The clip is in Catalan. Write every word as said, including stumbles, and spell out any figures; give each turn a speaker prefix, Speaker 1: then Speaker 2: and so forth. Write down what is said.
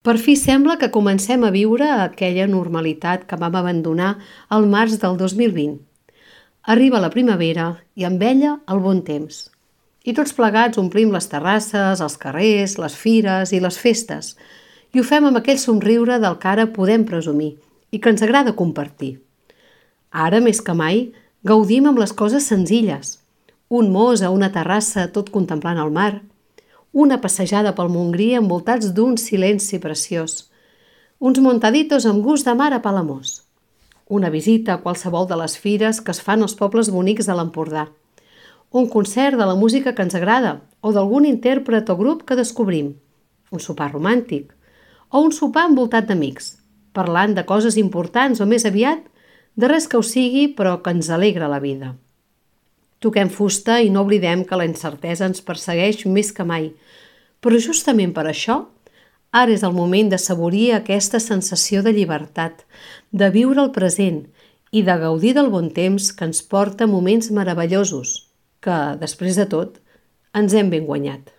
Speaker 1: Per fi sembla que comencem a viure aquella normalitat que vam abandonar al març del dos mil vint. Arriba la primavera i amb ella el bon temps. I tots plegats omplim les terrasses, els carrers, les fires i les festes. I ho fem amb aquell somriure del que ara podem presumir i que ens agrada compartir. Ara, més que mai, gaudim amb les coses senzilles. Un mos a una terrassa tot contemplant el mar. Una passejada pel Montgrí envoltats d'un silenci preciós. Uns montaditos amb gust de mar a Palamós. Una visita a qualsevol de les fires que es fan als pobles bonics de l'Empordà. Un concert de la música que ens agrada o d'algun intèrpret o grup que descobrim. Un sopar romàntic. O un sopar envoltat d'amics, parlant de coses importants o més aviat de res que ho sigui però que ens alegra la vida. Toquem fusta i no oblidem que la incertesa ens persegueix més que mai, però justament per això, ara és el moment de saborir aquesta sensació de llibertat, de viure el present i de gaudir del bon temps que ens porta moments meravellosos, que, després de tot, ens hem ben guanyat.